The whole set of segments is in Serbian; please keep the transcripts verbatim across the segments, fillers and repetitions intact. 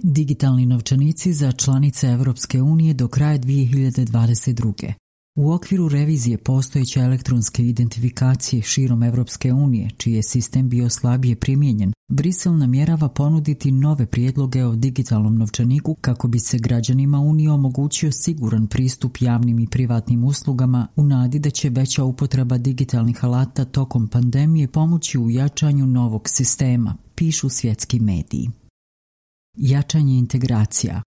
Digitalni novčanici za članice Evropske unije do kraja dvije hiljade dvadeset druge. U okviru revizije postojeće elektronske identifikacije širom Evropske unije, čiji je sistem bio slabije primijenjen, Brisel namjerava ponuditi nove prijedloge o digitalnom novčaniku kako bi se građanima Unije omogućio siguran pristup javnim i privatnim uslugama u nadi da će veća upotreba digitalnih alata tokom pandemije pomoći u jačanju novog sistema, pišu svjetski mediji. Jačanje integracija.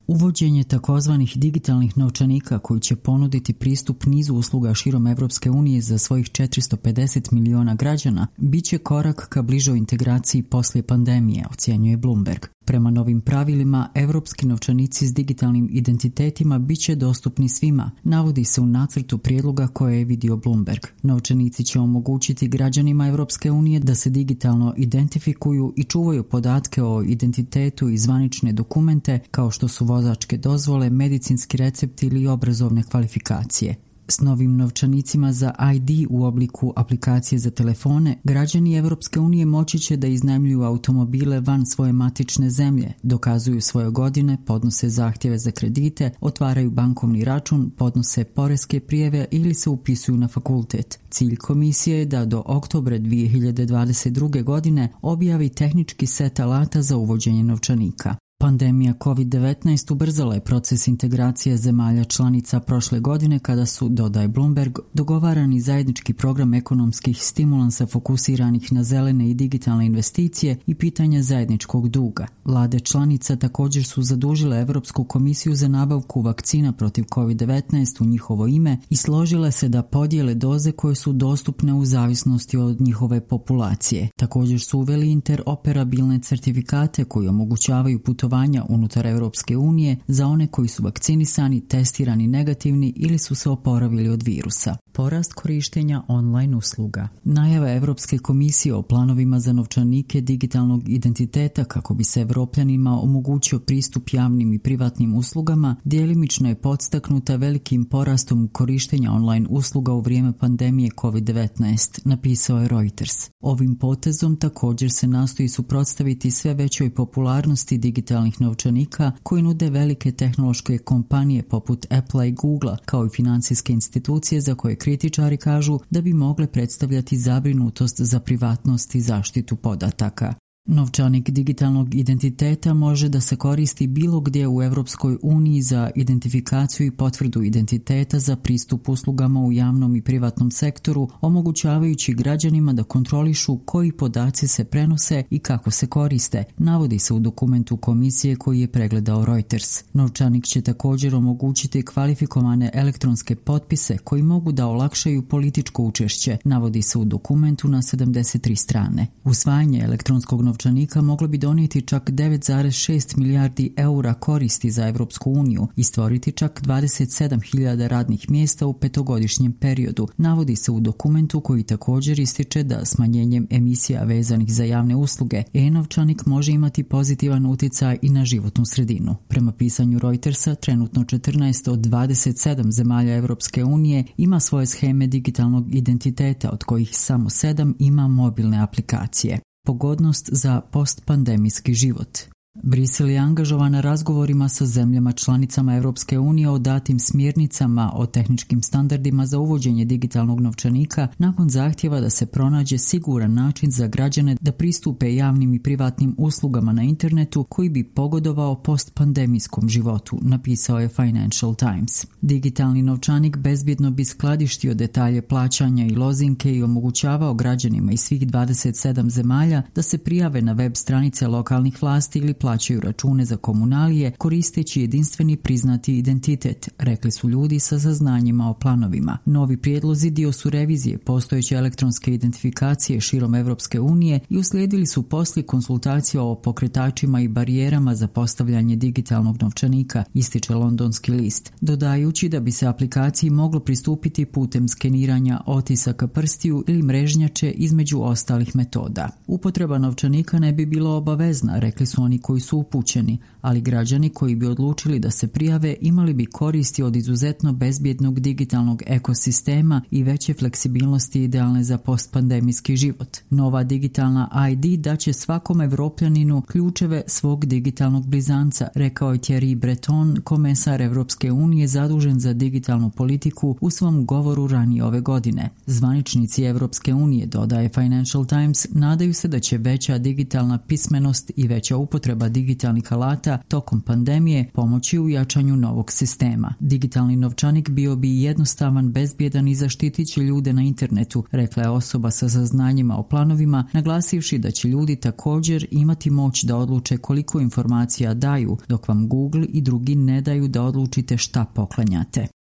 Uvođenje takozvanih digitalnih novčanika koji će ponuditi pristup nizu usluga širom Evropske unije za svojih četiristo pedeset miliona građana bit će korak ka bližoj integraciji poslije pandemije, ocjenjuje Bloomberg. Prema novim pravilima, evropski novčanici s digitalnim identitetima bit će dostupni svima, navodi se u nacrtu prijedloga koje je vidio Bloomberg. Novčanici će omogućiti građanima Evropske unije da se digitalno identifikuju i čuvaju podatke o identitetu i zvanične dokumente kao što su vozačke dozvole, medicinski recepti ili obrazovne kvalifikacije. S novim novčanicima za I D u obliku aplikacije za telefone, građani Evropske unije moći će da iznajmljuju automobile van svoje matične zemlje, dokazuju svoje godine, podnose zahtjeve za kredite, otvaraju bankovni račun, podnose poreske prijave ili se upisuju na fakultet. Cilj komisije je da do oktobra dvije hiljade dvadeset druge. godine objavi tehnički set alata za uvođenje novčanika. Pandemija kovid devetnaest ubrzala je proces integracije zemalja članica prošle godine kada su, dodaje Bloomberg, dogovarani zajednički program ekonomskih stimulansa fokusiranih na zelene i digitalne investicije i pitanja zajedničkog duga. Vlade članica također su zadužile Europsku komisiju za nabavku vakcina protiv kovid devetnaest u njihovo ime i složile se da podijele doze koje su dostupne u zavisnosti od njihove populacije. Također su uveli interoperabilne certifikate koji omogućavaju putovanje unutar Europske unije za one koji su vakcinisani, testirani negativni ili su se oporavili od virusa. Porast korištenja online usluga. Najava Europske komisije o planovima za novčanike digitalnog identiteta kako bi se Evropljanima omogućio pristup javnim i privatnim uslugama djelimično je podstaknuta velikim porastom korištenja online usluga u vrijeme pandemije kovid devetnaest, napisao je Reuters. Ovim potezom također se nastoji suprotstaviti sve većoj popularnosti digitalnih novčanika koji nude velike tehnološke kompanije poput Apple i Google kao i financijske institucije za koje kritičari kažu da bi mogle predstavljati zabrinutost za privatnost i zaštitu podataka. Novčanik digitalnog identiteta može da se koristi bilo gdje u Evropskoj uniji za identifikaciju i potvrdu identiteta za pristup uslugama u javnom i privatnom sektoru, omogućavajući građanima da kontrolišu koji podaci se prenose i kako se koriste, navodi se u dokumentu komisije koji je pregledao Reuters. Novčanik će također omogućiti kvalifikovane elektronske potpise koji mogu da olakšaju političko učešće, navodi se u dokumentu na sedamdeset tri strane. Usvajanje elektronskog novčanika novčanika moglo bi donijeti čak devet zarez šest milijardi eura koristi za Evropsku uniju i stvoriti čak dvadeset sedam hiljada radnih mjesta u petogodišnjem periodu, navodi se u dokumentu koji također ističe da smanjenjem emisija vezanih za javne usluge e-novčanik može imati pozitivan utjecaj i na životnu sredinu. Prema pisanju Reutersa, trenutno četrnaest od dvadeset sedam zemalja Evropske unije ima svoje sheme digitalnog identiteta, od kojih samo sedam ima mobilne aplikacije. Pogodnost za postpandemijski život. Brisel je angažovan na razgovorima sa zemljama članicama Evropske unije o datim smjernicama o tehničkim standardima za uvođenje digitalnog novčanika nakon zahtjeva da se pronađe siguran način za građane da pristupe javnim i privatnim uslugama na internetu koji bi pogodovao postpandemijskom životu, napisao je Financial Times. Digitalni novčanik bezbjedno bi skladištio detalje plaćanja i lozinke i omogućavao građanima iz svih dvadeset sedam zemalja da se prijave na web stranice lokalnih vlasti ili plaćaju račune za komunalije koristeći jedinstveni priznati identitet, rekli su ljudi sa saznanjima o planovima. Novi prijedlozi dio su revizije postojeće elektronske identifikacije širom Evropske unije i uslijedili su poslije konsultacija o pokretačima i barijerama za postavljanje digitalnog novčanika, ističe londonski list, dodajući da bi se aplikaciji moglo pristupiti putem skeniranja otisaka prstiju ili mrežnjače između ostalih metoda. Upotreba novčanika ne bi bila obavezna, rekli su oni koji su upućeni, ali građani koji bi odlučili da se prijave imali bi koristi od izuzetno bezbjednog digitalnog ekosistema i veće fleksibilnosti idealne za postpandemijski život. Nova digitalna I D daće svakom Evropljaninu ključeve svog digitalnog blizanca, rekao je Thierry Breton, komesar Evropske unije zadužen za digitalnu politiku u svom govoru ranije ove godine. Zvaničnici Evropske unije, dodaje Financial Times, nadaju se da će veća digitalna pismenost i veća upotreba digitalnih alata tokom pandemije pomoći u jačanju novog sistema. Digitalni novčanik bio bi jednostavan, bezbjedan i zaštitit će ljude na internetu, rekla je osoba sa saznanjima o planovima, naglasivši da će ljudi također imati moć da odluče koliko informacija daju, dok vam Google i drugi ne daju da odlučite šta poklanjate.